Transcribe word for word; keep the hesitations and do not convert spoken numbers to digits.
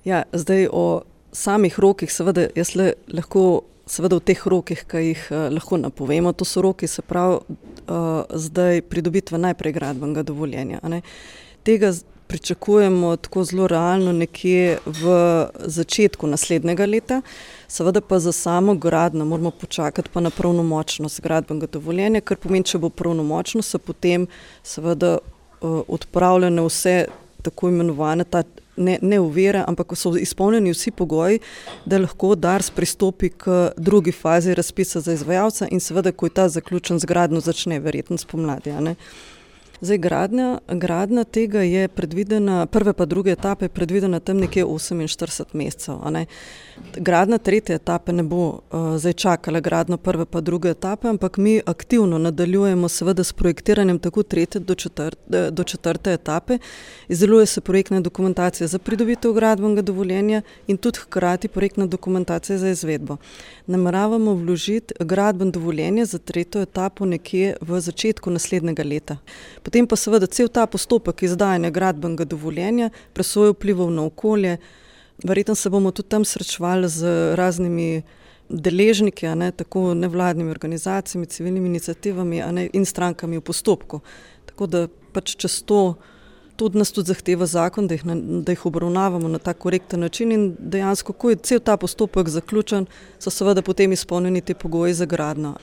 Ja, zdaj o samih rokih, seveda, jaz le, lahko, seveda v teh rokih, ki jih uh, lahko napovemo, to so roki, se pravi, uh, zdaj pridobitve najprej gradbenega dovoljenja. A ne. Tega pričakujemo tako zelo realno nekje v začetku naslednjega leta, seveda pa za samo gradnjo moramo počakati pa na pravnomočnost gradbenega dovoljenja, kar pomeni, če bo pravnomočno, so potem seveda uh, odpravljene vse tako imenovane ta ne, ne ovire, ampak so izpolnjeni vsi pogoji, da lahko Dars pristopi k drugi fazi razpisa za izvajalca in seveda, ko je ta zaključen z gradnjo, začne verjetno spomladi, a ne. Zdaj, gradnja, gradnja tega je predvidena, prve pa druge etape je predvidena tam nekje oseminštirideset mesecev, a ne. Gradnja tretje etape ne bo uh, zdaj čakala gradnjo prve pa druge etape, ampak mi aktivno nadaljujemo seveda s projektiranjem tako tretje do, četrt, do četrte etape. Izdeluje se projektna dokumentacija za pridobitev gradbenega dovoljenja in tudi hkrati projektna dokumentacija za izvedbo. Nameravamo vložiti gradbeno dovoljenje za tretjo etapo nekje v začetku naslednjega leta. Potem pa seveda cel ta postopek izdajanja gradbenega dovoljenja, presoje vplivov na okolje. Verjetno se bomo tudi tam srečevali z raznimi deležniki, a ne, tako nevladnimi organizacijami, civilnimi iniciativami, a ne, in strankami v postopku. Tako da pač čez to, tudi nas tudi zahteva zakon, da jih, na, da jih obravnavamo na tak korekten način in dejansko, ko je cel ta postopek zaključen, so seveda potem izpolnjeni ti pogoji za gradnjo.